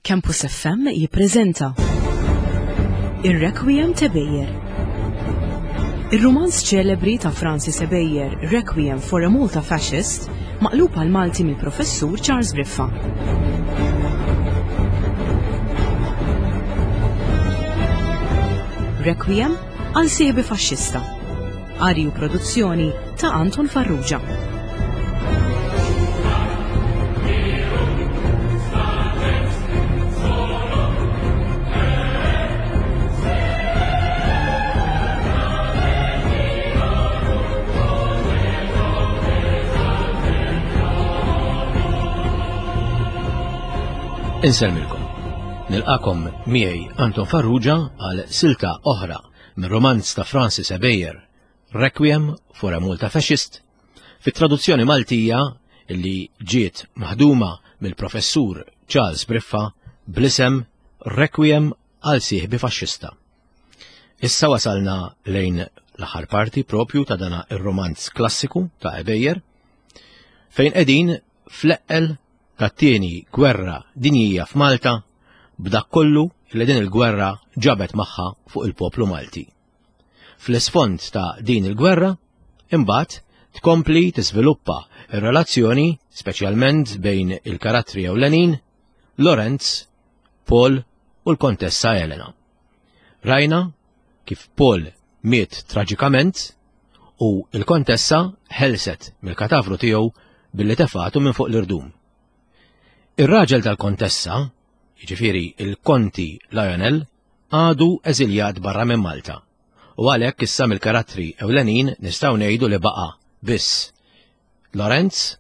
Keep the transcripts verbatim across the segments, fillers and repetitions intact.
Campus F M jippreżenta Ir-Requiem t'Ebejer. Ir-rumanz ċelebri ta' Francis Ebejer, Requiem for a Malta Fascist, maqlub għal Malti mill-Professur Charles Briffa. Requiem għal sieħbi faxxista. Qari u produzzjoni ta' Anton Farrugia. Insellmilkom. Nilqakom miegħi Anton Farrugia għal silta oħra minn romanz ta' Francis Ebejer, Requiem for a Malta Fascist, fit-traduzzjoni Maltija li ġiet maħduma mill-professur Charles Briffa bl-isem Requiem għal sieħbi faxxista. Issa wasalna lejn l-aħħar parti propju ta' dana ir-romanz klassiku ta' Ebejer, fejn qegħdin fl-eqqel tat-tieni gwerra dinjija f'Malta b'dak kollu li din il-gwerra ġabet magħha fuq il-poplu Malti. Fl-isfond ta' din il-gwerra, imbagħad tkompli tiżviluppa ir-relazzjoni speċjalment bejn il-karattri ewlenin Lorenz, Paul u l-Kontessa Elena. Rajna kif Paul miet traġikament u l-Kontessa ħelset mill-katavru tiegħu billi tefatu minn fuq l-irdum. Ir-raġel tal-Kontessa, jiġifieri il-Konti Lionel, għadu eżiljat barra minn Malta. U għalhekk issa mill-karattri ewlenin nistgħu ngħidu li baqa' biss Lorenz,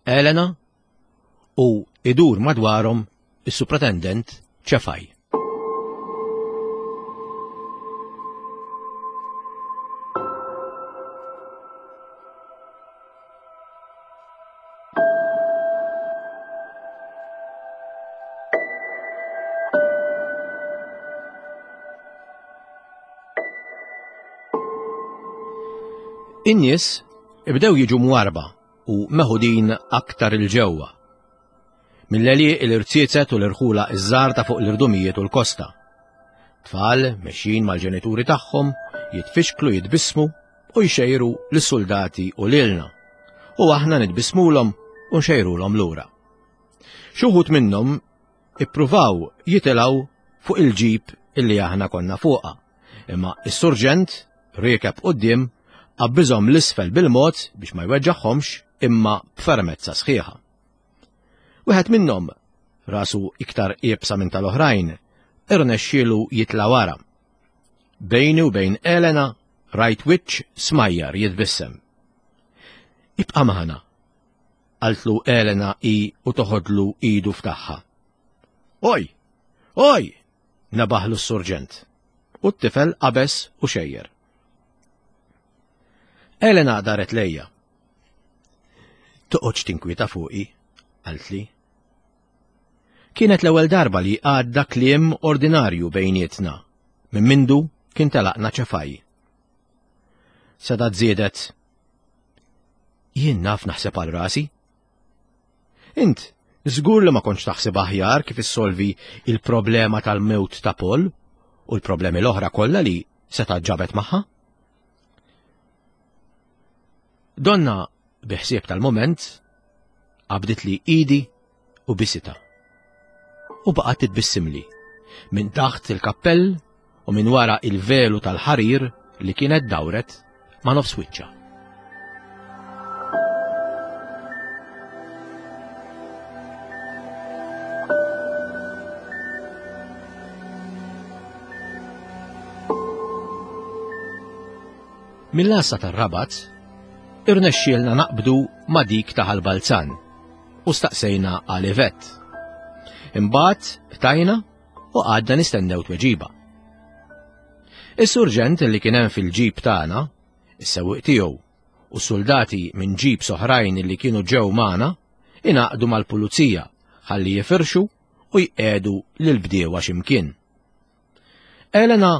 Elena u idur madwarhom is-Supretendent Ċefaj. In-nies ibdew jiġu mwarba u meħudin aktar il-ġewwa. Mill-għelieq il-irziezet u l-irħula iż-żgħar ta' fuq l-irdumijiet u l-kosta. Tfal mexjin mal-ġenituri tagħhom jitfixklu, jitbissmu u jxejru lis-soldati u lilna. U aħna nitbissmulhom u nxejrulhom lura. Xi wħud minnhom ippruvaw jitilgħu fuq il-ġib illi aħna konna fuqha, imma s-surġent riekeb quddiem qabbiżhom l-isfel bil-mod biex ma jweġġagħhomx imma b'fermezza sħiħa. Wieħed minnhom, rasu iktar iebsa minn tal-oħrajn, irnexxielu jitla' wara. Bejni u bejn Elena rajt wiċċ smajjar jitbissem. Ibqa' magħna, qaltlu Elena i u toħodlu idu f'tagħha. Oj! Oj! Nabaħlu s-surġent. U t-tifel qabeż u xejjer. Elena daret lejja. Toqgħodx tinkwieta fuqi, qaltli. Kienet l-ewwel darba li għadda kliem ordinarju bejnietna, minn mindu kien telaqna Ċefaj. Seda żiedet. Jien naf naħseb għal rasi. Int, żgur li ma kontx taħseb aħjar kif issolvi il-problema tal-mewt ta' Paul u l-problemi l-oħra kollha li seta' ġabet magħha? Donna, biħsieb tal-moment, qabdit li idi u bisita. U baqgħet titbissimli minn taħt il-kappell u minn wara il-velu tal-ħarir li kienet dawret ma' nofs wiċċha. Mill-għassa tar-Rabat, irnexxielna naqbdu ma' dik ta' Ħal Balzan u staqsejna għal Yvette. Imbagħad qtajna u għadna nistennew tweġiba. Is-surġent li kien hemm fil-ġib tagħna, is-sewwieq tiegħu u soldati minn ġib soħrajn li kienu ġew magħna ingħaqdu mal-pulizija ħalli jifirxu u jqiegħdu lil bdiewa x'imkien. Elena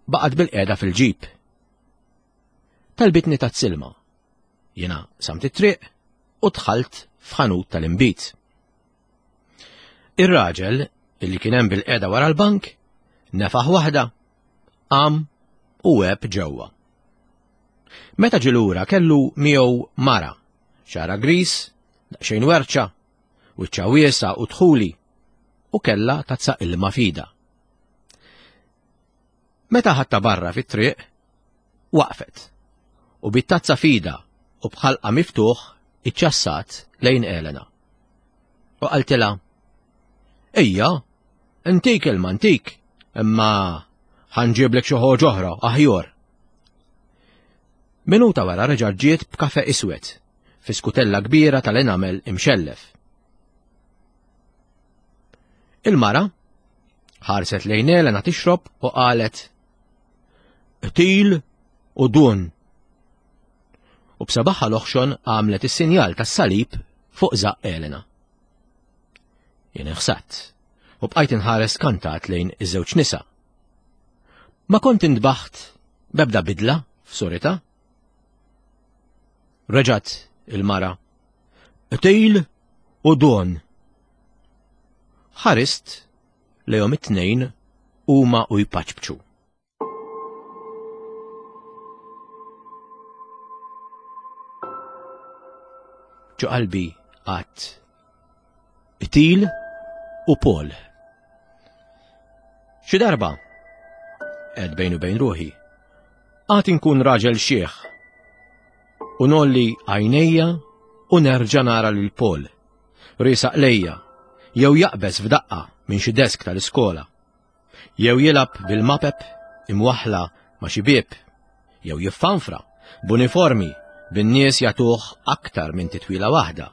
baqgħet bil-qiegħda fil-ġib. Talbitni tat-silma. Jiena samt it-triq u dħalt f'ħanut tal-inbid. Ir-raġel, illi kien hemm bil-qiegħda wara l-bank, nefaħ waħda, qam u għeb ġewwa. Meta ġie lura kellu miegħu mara, xagħarha gris, daqsxejn werċa, wiċċha wiesa' u dħuli, u kellha tazza ilma f'idha. Meta ħadtha barra fit-triq, waqfet, u bit-tazza f'idha u b'ħalqa miftuħ iċċassat lejn Elena. U qaltilha, "Ejja, intik ilma ntik, imma ħa nġiblek xi ħaġa oħra aħjar." Minuta wara reġa' ġiet b'kafe iswed fi skutella kbira tal-enamel imxellef. Il-mara ħarset lejn Elena tixrob u qalet, "Qtil u dun." U b'sabaħħa l-oħxon għamlet is-sinjal tas-salib fuq żaqq Elena. Jien inħsadt u bqajt inħares kantat lejn iż-żewġ nisa. Ma kont intbaħt bebda bidla f'surita. Reġgħet il-mara, "Qtil u dun." Ħarist lejhom it-tnejn huma u jpaċpċu. Ġo qalbi għadt, "Qtil u Paul." Xi darba, għedt bejn u bejn ruħi, għad inkun raġel xiħ u ngħolli għajnejja u nerġa' nara lil Paul riesaq lejja, jew jaqbeż f'daqqa minn xi desk tal-iskola, jew jilgħab bil-mapep imwaħħla ma' xi bieb, jew jiffanfra b'uniformi bin-nies jagħtuh aktar minn titwila waħda.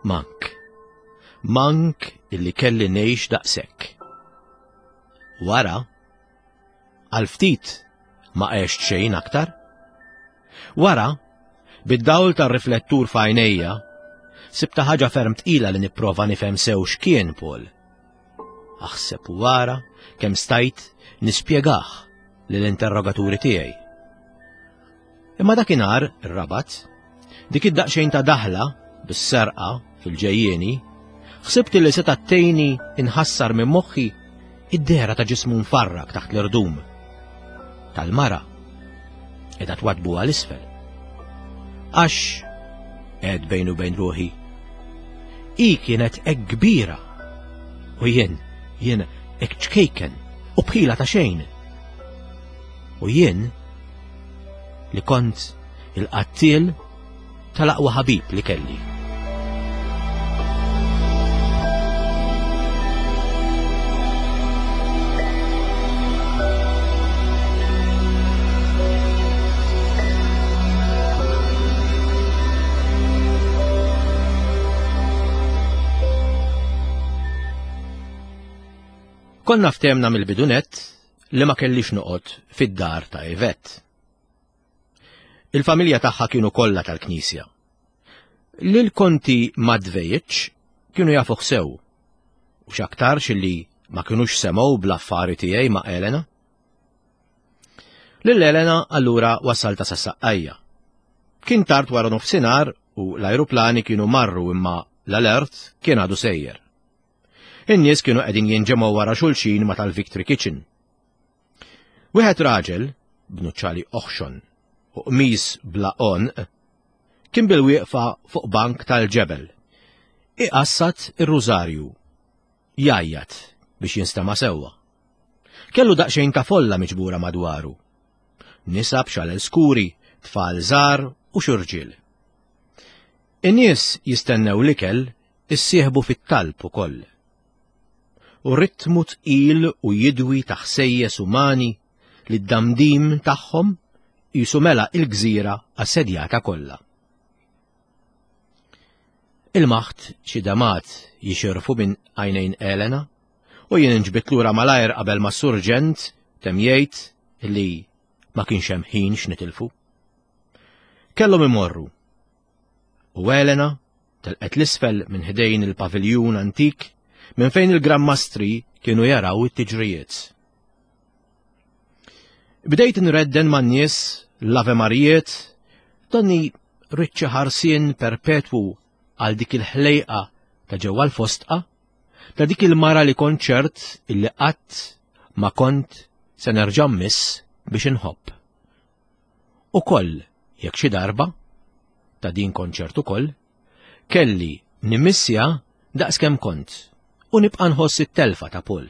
Mank, mank illi kelli ngħix daqshekk. Wara, għal ftit ma għext xejn aktar. Wara, bid-dawl tar-riflettur f'għajnejja, sibta ħaġa ferm tqila li nipprova nifhem sew x'kien Paul. Aħseb u wara kemm stajt nispjegah lill-interrogaturi tiegħi. Imma dakinhar ir-Rabat, dik id-daqsxejn ta' daħla bis-serqa fil-ġejjieni, ħsibt li seta' tgħinni inħassar minn moħħi id-dehra ta' ġismu mfarrak taħt l-irdum. Tal-mara qiegħda twadbu għal isfel. Għax għedt bejn u bejn ruħi, hi kienet hekk kbira u jien, jien hekk ċkejken u bħila ta' xejn. U jien li kont il-qattiel tal-aqwa ħabib li kelli. Konna ftehemna mill-bidunet li ma kellix noqgħod fid-dar ta' Yvette. Il-familja tagħha kienu kollha tal-Knisja. Lil Konti Madvejich kienu jafuh sew, u x'aktarx li ma kinux semgħu bl-affari tiegħi ma' Elena. Lil Elena allura wassalta sas-Saqqajja. Kien tard wara nofsinhar u l-ajruplani kienu marru imma l-alert kien għadu sejjer. In-nies kienu qegħdin jinġemgħu wara xulxin ma' tal-Victory Kitchen. Wieħed raġel, b'nuċċali oħxon u qmis bla għonq, kien bil-wieqfa fuq bank tal-ġebel. Iqassat ir-rużarju, jgħajjat biex jinstema' sewwa. Kellu daqsxejn ta' folla miġbura madwaru. Nisa b'xalel skuri, tfal żgħar u xi rġiel. In-nies jistennew l-ikel issieħbu fit-talb ukoll. U ritmu tqil u jidwi ta' ħsejjes umani li d-damdim tagħhom jisu mela il-gżira assedjata kollha. Il-maħt xi damat jixirfu minn għajnejn Elena u jien inġbit lura malajr qabel ma surġent temm jgħid li ma kienx hemm ħin x'nitilfu. Kellhom imorru. U Elena telqet l-isfel minn ħdejn il-paviljun antik minn fejn il-Gran Mastri kienu jaraw it-tiġrijiet. Bdejt nredden man-nies l-Ave Marijiet, donni riċċi ħarsien perpetwu għal dik il-ħlejqa ta' ġewwa l-fostqa, ta' dik il-mara li kont ċert illi qatt ma kont se nerġa' mmiss biex inħobb. Ukoll jekk xi darba, ta' din kont ċert ukoll, kelli nimmissja daqskemm kont u nibqa' nħoss it-telfa ta' Paul.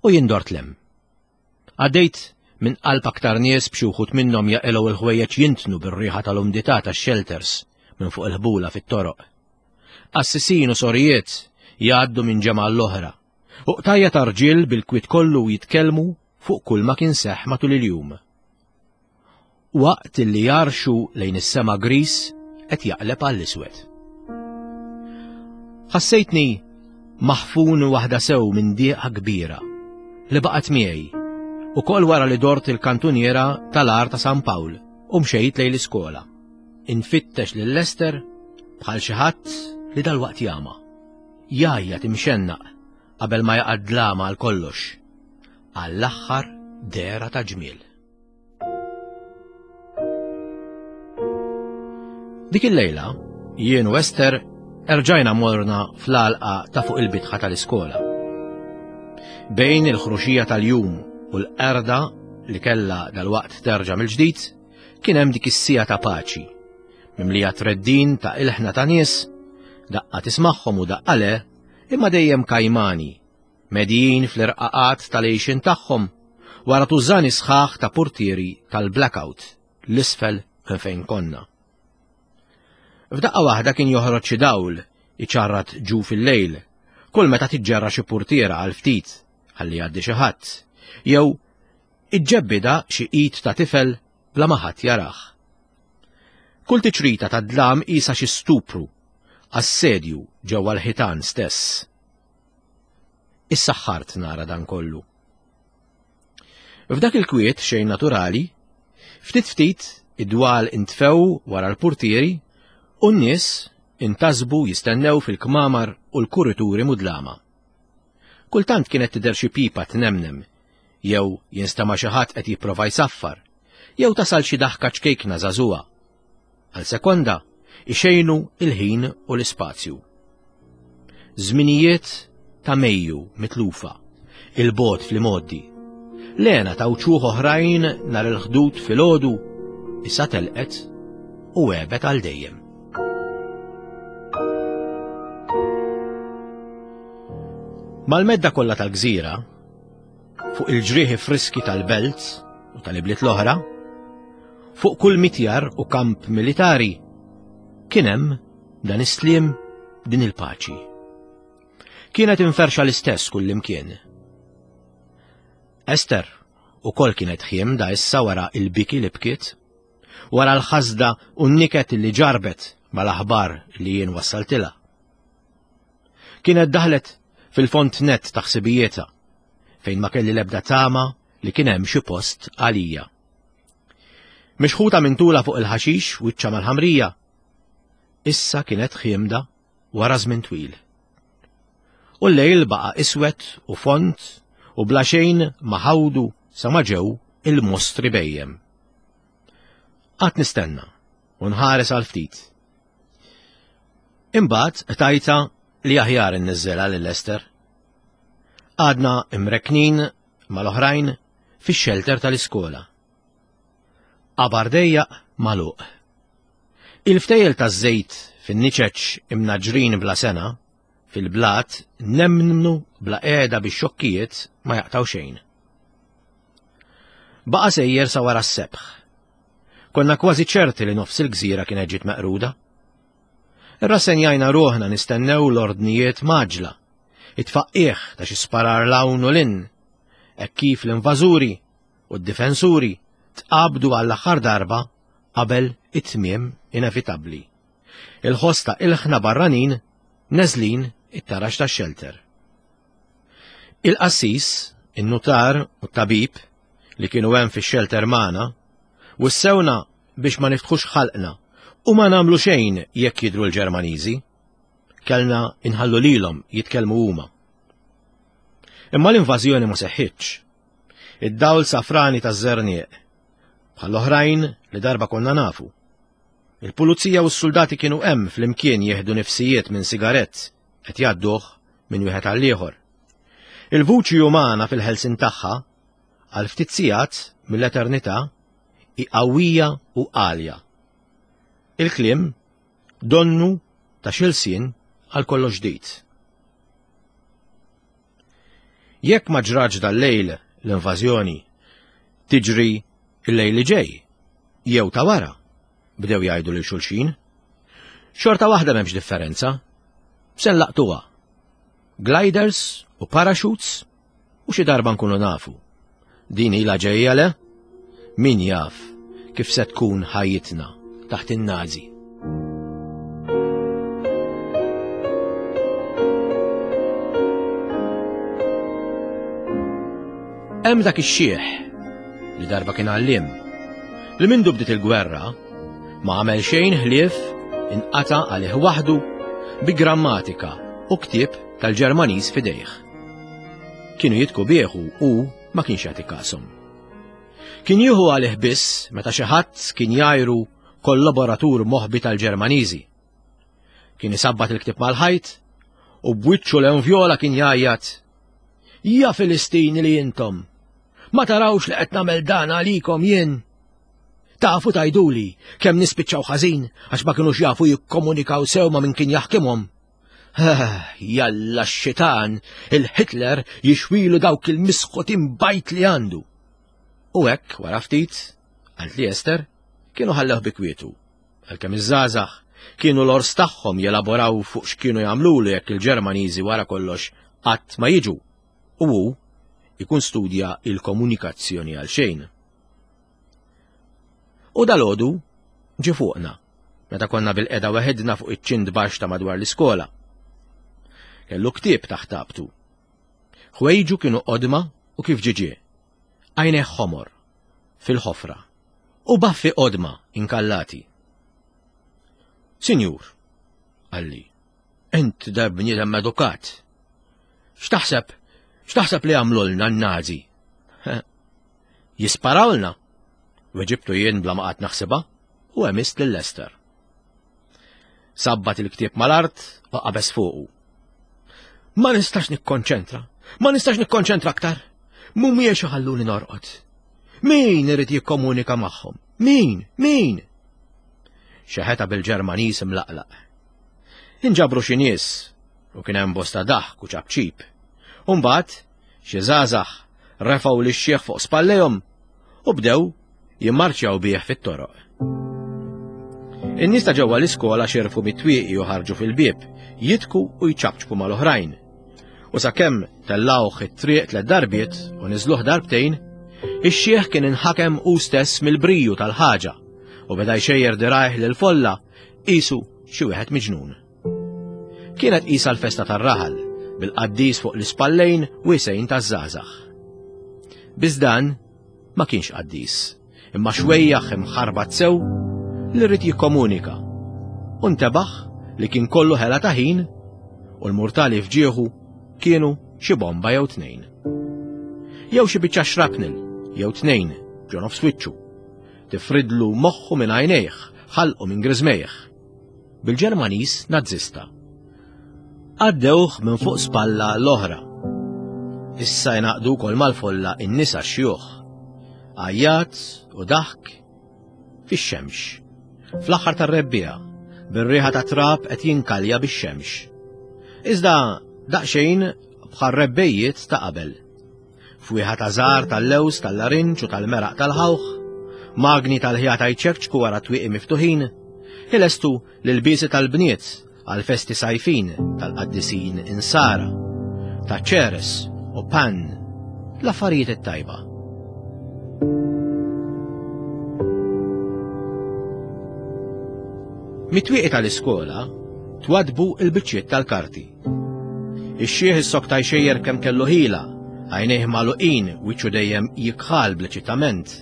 U jien dort 'l hemm. Għaddejt minn qalb aktar nies b'xi wħud minnhom jaqilgħu l-ħwejjeġ jintnu bir-riħa tal-umdità tax-shelters minn fuq il-ħbula fit-toroq. Qassisin u sorijiet jgħaddu minn ġemgħa l-oħra u qtajja ta' rġiel bil-kwiet kollu jitkellmu fuq kull ma kien seħħ matul il-jum. Waqt li jarxu lejn is-sema gris qed jaqleb għall-iswed. Ħassejtni maħfun waħda sew minn dieqa kbira li baqgħet miegħi ukoll wara li dort il-kantuniera tal-għar ta' San Pawl u mxejt lejn l-iskola. Infittex lil Lester bħal xi ħadd li dalwaqt jama. Jgħajjat imxennaq qabel ma jaqa' dlama għal kollox. Għall-aħħar dehra ta' ġmiel. Dik il-lejla, jien u Ester erġajna morna fl-għalqa ta' fuq il-bitħa tal-iskola. Bejn il-ħruxija tal-jum u l-qerda li kella dal-waqt terġa' mill-ġdid, kien hemm dik is-sija ta' paċi, mimlija treddin ta' ilħna ta' nies, daqqa tismagħhom u daqqa le, imma dejjem kajmani, medijin fl-irqaqat tal-għixin tagħhom, wara tużani sħaħ ta' portieri tal-blackout l-isfel minn fejn konna. F'daqqa waħda kien joħroġ xi dawl iċarrat ġu fil-lejl, kull meta tiġġerra xi portiera għal ftit ħalli jgħaddi xi ħadd, jew iġġebbida xi id ta' tifel bla ma ħadd jarah. Kull tiċrita ta' dlam qisha xi stupru, assedju ġewwa l-ħitan stess. Issaħħart nara dan kollu. F'dak il-kwiet xejn naturali, ftit ftit id-dwal intfew wara l-portieri u n-nies intasbu jistennew fil-kmamar u l-kurituri mudlama. Kultant kienet tidher xi pipa tnemnem, jew jinstema' xi ħadd qed jipprova jsaffar, jew tasal xi daħka ċkejkna żagħżugħa. Għal sekonda ixejnu il-ħin u l-ispazju. Żminijiet ta' Mejju mitlufa, il-bot fl-imoddi. Lena ta' wċuħ oħrajn nhar il-ħdud filgħodu issa telqet u għebet għal dejjem. Mal-medda kollha tal-gżira, fuq il-ġrieħi friski tal-belt u tal-ibliet l-oħra, fuq kull mitjar u kamp militari, kien hemm dan is-sliem, din il-paċi. Kienet inferxa l-istess kullimkien. Ester ukoll kienet ħiemda issa wara il-biki li bkiet, wara l-ħasda u n-niket li ġarbet mal-aħbar li jien wassaltilha. Kienet daħlet fil-font net ta' ħsibijietha, fejn ma kelli l-ebda tama li kien hemm xi post għalija. Mixħuta minn tula fuq il-ħaxix wiċċa mal-ħamrija, issa kienet ħiemda wara żmien twil. U l-lejl baqa' iswed u font u bla xejn ma ħawdu sa ma ġew il-mostri bejjem. Qatt nistenna u nħares għal ftit. Imbagħad tajta li aħjar inniżżelha lil Ester. Għadna imreknin mal-oħrajn fix-xelter tal-iskola. Qabar dejjaq magħluq. Il-ftejjel taż-żejt fin-niċeċ imnaġrin bla sena, fil-blat nemnu bla qiegħda bix-xokkijiet ma jaqtaw xejn. Baqa' sejjer sa wara s-sebħ. Konna kważi ċerti li nofs il-gżira kienet ġiet meqruda. Irrassenjajna ruħna nistennew l-ordnijiet maġla, it-tfaqqieħ ta' xi sparar l-hawn u l-in, hekk kif l-invażuri u d-difensuri tqabdu għall-aħħar darba qabel it-tmiem inevitabbli. Il-ħoss ta' ilħna barranin neżlin it-tarax tax-xelter. Il-qassis, in-nutar u t-tabib li kienu hemm fix-xelter magħna wissewna biex ma niftħux ħalqna u ma nagħmlu xejn jekk jidhru l-Ġermaniżi. Kellna inħallu lilhom jitkellmu huma. Imma l-invażjoni ma seħħitx. Id-dawl safrani taż-żernieq, bħall-oħrajn li darba konna nafu. Il-pulizija u s-soldati kienu hemm flimkien jieħdu nifsijiet minn sigarett qed jgħadduh minn wieħed għal ieħor. Il-vuċi umana fil-ħelsin tagħha għal ftit sigħat mill-eternità hi qawwija u għalja. Il-kliem donnu ta' xi lsien għal kollox ġdid. Jekk ma ġraġ dal-lejl l-invażjoni, tiġri il-lejl li ġej, jew ta' wara, bdew jgħidu lil xulxin. Xorta waħda m'hemmx differenza. Se nlaqtuha. Gliders u parachutes u xi darba nkunu nafu. Din ilha ġejja le? Min jaf kif se tkun ħajjitna taħt in-Nazi. Hemm dak ix-xiħ li darba kien għalliem li mindu bdiet il-gwerra ma għamel xejn ħlief inqata' għalih waħdu bi grammatika u ktieb tal-Ġermaniż f'idejh. Kienu jitku bih u ma kienx jagħti kashom. Kien jieħu għalih biss meta xi ħadd kien jgħajru kollaboratur moħbi tal-Ġermaniżi. Kien isabbat il-ktieb mal-ħajt u b'wiċċu l-envjola kien jgħajjat: "Ja Filistini li intom, ma tarawx li qed nagħmel dan għalikom jien? Tafu tgħiduli kemm nispiċċaw ħażin għax ma kinux jafu jikkomunikaw sew ma' min kien jaħkimhom. Jalla x-xitan, il-Hitler jixwilu dawk il-misħotin bajt li għandu." U hekk wara ftit, għalt li Ester, kienu ħallewh bi kwietu. Għalkemm iż-żgħażagħ kienu l-ors tagħhom jelaboraw fuq x'kienu jagħmlulu jekk il-Ġermaniżi wara kollox qatt ma jiġu. U hu ikun studja il-komunikazzjoni għal xejn. U dalgħodu ġie fuqna, meta konna bil-qeda weħidna fuq iċ-ċint baxx ta' madwar l-iskola. Kellu ktieb taħt tabtu. Ħwejġu kienu qodma u kif ġiġie. Għajnejh ħomor, fil-ħofra, u baffi qodma inkallati. "Sinjur," qalli, "int da bniedem edukat. X'taħseb? X'taħseb li għamlulna n-Nazi?" "Jisparawlna," weġibtu jien bla ma qatt naħsibha u għemist lil Lester. Sabbat il-ktieb mal-art u qabeż fuqu. "Ma nistax nikkonċentra, ma nistax nikkonċentra aktar. Mhumiex iħalluni norqod. Min irid jikkomunika magħhom? Min? Min?" Xeħeta bil-Ġermaniż imlaqlaq. Inġabru xi nies u kien hemm bosta daħk u ċapċip. U mbagħad xi żgħażagħ refgħu lix-xiħ fuq spallejhom u bdew jimmarċjaw bih fit-toroq. In-nies ta' ġewwa l-iskola xerfu mit-twieqi u ħarġu fil-bieb, jitku u jċapċpu mal-oħrajn. U sakemm tellawh it-triq tliet darbiet u niżluh darbtejn, ix-xiħ kien inħakem hu stess mill-briju tal-ħaġa u beda jxejjer dirajh lil folla qisu xi wieħed miġnun. Kienet qisha l-festa tar-raħal bil-qaddis fuq l-ispallejn wisejn taż-żgħażagħ. Biss dan ma kienx qaddis, imma xwejjaħ imħarbat sew li rrid jikkomunika. U ntebaħ li kien kollu ħela ta' ħin u l-murtali fġieħu kienu xi bomba jew tnejn. Jew xi biċċa shrapnel jew tnejn ġo nofs wiċċu. Tifridlu moħħu minn għajnejh, ħalqu minn griżmejh. Bil-Ġermaniż nazzista. Għaddewh minn fuq spalla l-oħra. Issa jnaqdu wkoll mal-folla in-nisa xjuħ. Għajjat u daħk fix-xemx. Fl-aħħar tar-rebbiegħa, bir-riħa ta' trab qed jinkalja bix-xemx. Iżda daqsxejn bħal rebbejjiet ta' qabel. Fwieħa ta' żgħar tal-lews, tal-larinġ u tal-meraq tal-ħawħ, magni tal-ħjata jċekċku wara twieqi miftuħin, ilestu l-ilbiesi tal-bniet għal festi sajfin tal-qaddisin insara, ta' ċeres u pan, l-affarijiet it-tajba. Mit-twieqi tal-iskola twadbu il-biċċiet tal-karti. Ix-xiħ is-sokta jxejjer kemm kellu ħila, għajnejh magħluqin, wiċċu dejjem jikħal bl-eċitament.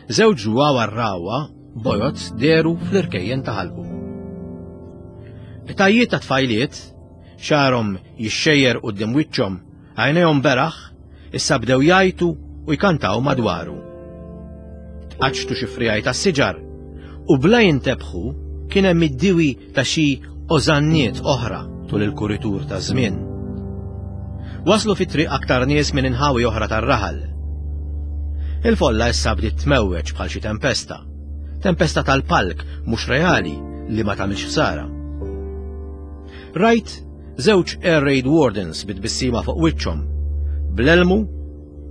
Żewġ ġwawa rawa bojod deru fl-irkejjen ta' ħalqu. Tajiet ta' tfajliet, xarhom jixxejjer quddiem wiċċhom, għajnejhom beraħ, issa bdew jgħajtu u jkantaw madwaru. Tqaċċtu xi frijaj tas-siġar U bla jintebħu kien hemm id-diwi ta' xi ożanniet oħra tul il-kuritur taż-żmien. Waslu fit-triq aktar nies minn inħawi oħra tar-raħal. Il-folla issa bdiet tmewweġ bħal xi tempesta. Tempesta tal-palk mhux reali li ma tagħmilx ħsara. Rajt żewġ air raid wardens bit-tbissima fuq wiċċhom, bl-elmu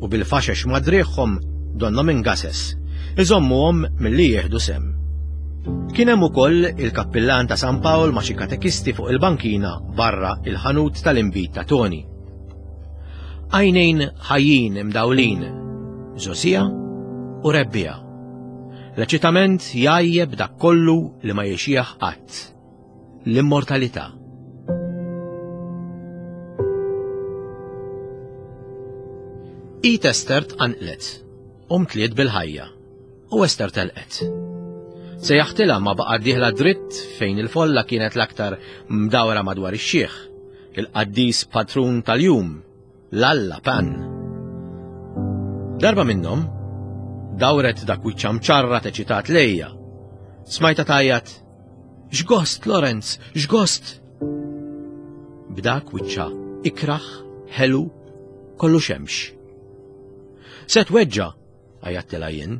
u bil-faxex madriħhom donnhom ingases, iżommuhom milli jieħdu sem. Kien hemm ukoll il-kappillan ta' San Pawl ma' xi katekisti fuq il-bankina barra il-ħanut tal-inbid ta' Toni. Għajnejn ħajjin imdawlin, żosija u rebbija. L-eċitament jgħajjeb dak kollu li ma jixjieħ qatt. L-immortalità. Id Ester tqanqlet, u mtliet bil-ħajja, u Ester telqet. Sejjaħtilha ma baqgħet dieħla dritt fejn il-folla kienet l-aktar mdawra madwar ix-xiħ, il-qaddis patrun tal-jum, l-Alla Pan. Darba minnhom, dawret dak wiċċha mċarra teċitat lejja. Smajta tgħajjat, "X'gost, Lorenz, x'gost!" B'dak wiċċha ikraħ, ħelu, kollu xemx. Se tweġġa', għajjattilha jien.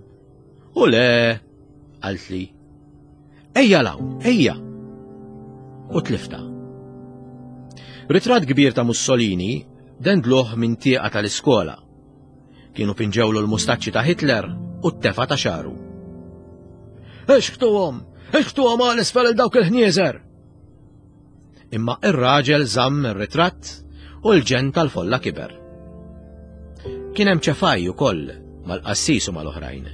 U le, qaltli. Ejja 'l hawn, ejja! U tlifta. Ritratt kbir ta' Mussolini dendluh minn tieqa tal-iskola. Kienu pinġewlu l-mustaċċi ta' Hitler u t-tefa ta' xaru. Ixħtuhom! Ixħtuhom għal isfel dawk il-ħnieżer! Imma ir-raġel żamm ir-ritratt u l-ġen tal-folla kiber. Kien hemm ċefaj ukoll mal-qassis u mal-oħrajn.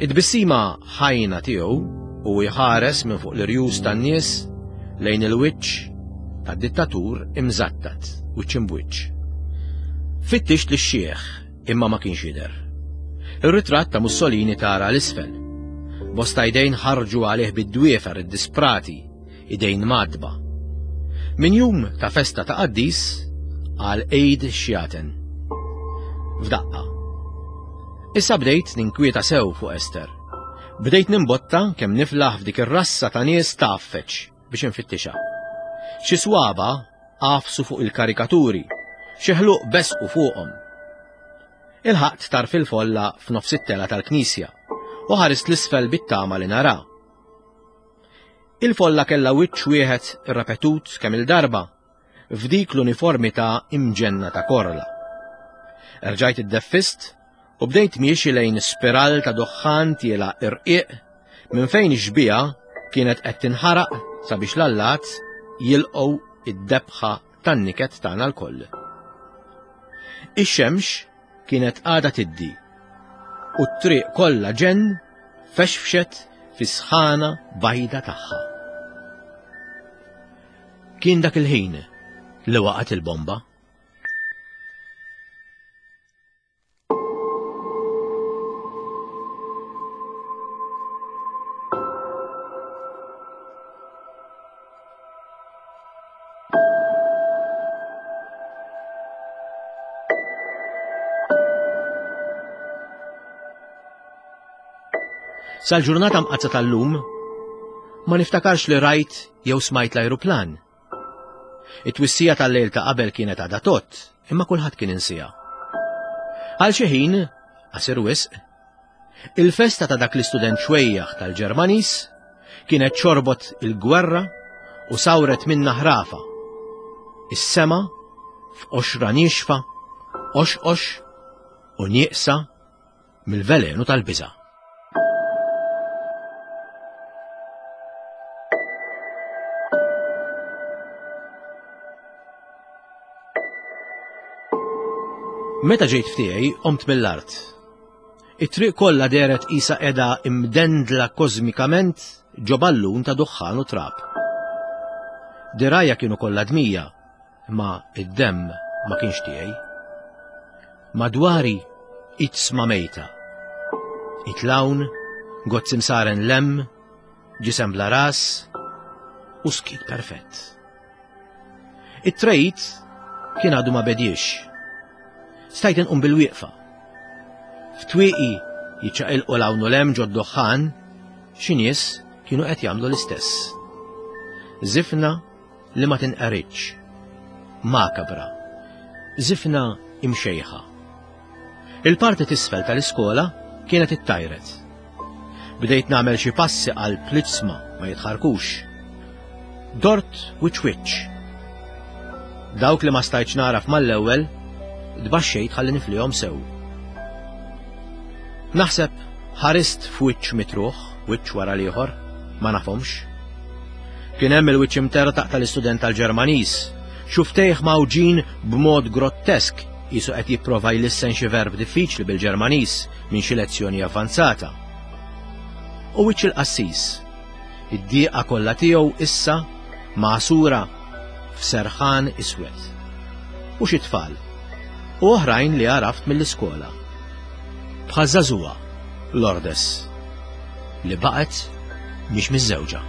Id-tbissima ħajna tiegħu u jħares minn fuq l-irjus tan-nies lejn il-wiċċ tad-dittatur imżattat wiċċ imbwiċċ. Fittixt lix-xieħ imma ma kienx jidher. Ir-ritratt ta' Mussolini tara l-isfel. Bosta idejn ħarġu għalih bid-dwiefer id-disprati, idejn madba. Min jum ta' festa ta' qaddis għal Eid xjaten. F'daqqa. Issa bdejt ninkwieta sew fuq Ester. Bdejt nimbotta kemm niflaħ f'dik ir-rassa ta' nies tgħaffeġ biex infittixha. Xi swaba għafsu fuq il-karikaturi, xi ħluq besqu fuqhom. Ilħaqt tarf il-folla f'nofs it-tela tal-knisja u ħarist l-isfel bit-tama li nara. Il-folla kellha wiċċ wieħed irrepetut kemm il-darba f'dik l-uniformità imġenna ta' korla. Erġajt iddeffist u bdejt miexi lejn spiral ta' duħħan tiela irqiq minn fejn ix-xbieha kienet qed tinħaraq sabiex l-allat jilqgħu id-debħa tan-niket tagħna lkoll. Ix-xemx kienet għadha tiddi u t-triq kollha ġenn fexfxet fis-sħana bajda tagħha. Kien dak il-ħin li waqgħet il-bomba. Sal-ġurnata mqazza tal-lum, ma niftakarx li rajt jew smajt l-ajruplan. It-twissija tal-lejl ta' qabel kienet għadha tot, imma kulħadd kien insija. Għal xi ħin, qasir wisq, il-festa ta' dak l-istudent xwejjaħ tal-Ġermanis kienet xorbot il-gwerra u sawret minna ħrafa. Is-sema f'qoxra niexfa, qoxqox u nieqsa mill-velenu tal-biża'. Meta ġejt ftiegħi qomt mill-art. It-triq kollha dehret qisha qiegħda imdendla kosmikament ġo ballun ta' duħħan u trab. Dirajja kienu kollha dmija, imma id-demm ma kienx tiegħi. Madwari iġsma mejta. Itlawn, gozz imsaren lem, ġisem bla ras u skit perfett. It-trejt kien għadu ma bediex. Stajt inqum bil-wieqfa. F'twieqi jiċċaqilqu 'l hawn u 'l hemm ġod-duħħan Xi nies kienu qed jagħmlu l-istess. Żifna li ma tinqeritx. Makabra. Żifna imxejħa. Il-parti t'isfel tal-iskola kienet ittajret. Bdejt nagħmel xi passi qalb l-iġsma ma jitħarkux. Dort wiċċ wiċċ. Dawk li ma stajtx naraf mal-ewwel, tbaxxejt ħalli niflihom sew. Naħseb ħarist f'wiċċ mitruħ, wiċċ wara l-ieħor, ma nafhomx. Kien hemm il-wiċċ imtertaq tal-istudent tal-Ġermaniż, xuftejh mgħawġin b'mod grottesk qisu qed jipprova jlissen xi verb diffiċli bil-Ġermaniż minn xi lezzjoni avvanzata. U wiċċ il-qassis, id-dieqa kollha tiegħu issa magħsura f'serħan iswed. U xi tfal, u oħrajn li għaraft mill-iskola. Bħal żagħżugħa, Lourdes, li baqgħet mhix miżżewġa.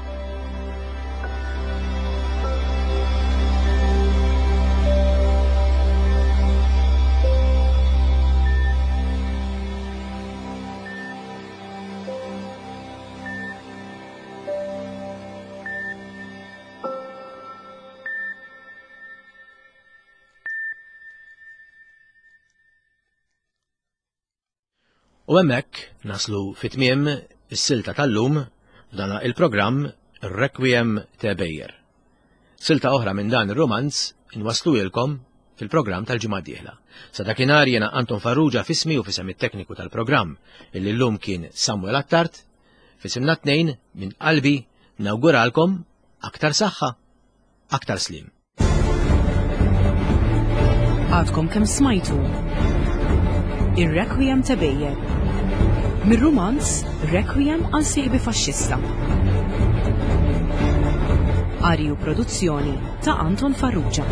U hemmhekk naslu fit-tmiem is-silta tal-lum f'dan il-programm Requiem ta' Ebejer. Silta oħra minn dan ir-romanz inwassluhielkom fil-programm tal-ġimgħa d-dieħla. Sa dakinhar jiena Anton Farrugia f'ismi u f'isem it-tekniku tal-programm illi llum kien Samuel Attard, f'isimna tnejn minn qalbi nawguralkom aktar saħħa, aktar slim. Għadkom kemm smajtu Ir-Requiem ta' Ebejer. Mir-rumanz Requiem għal sieħbi faxxista. Qari u produzzjoni ta' Anton Farrugia.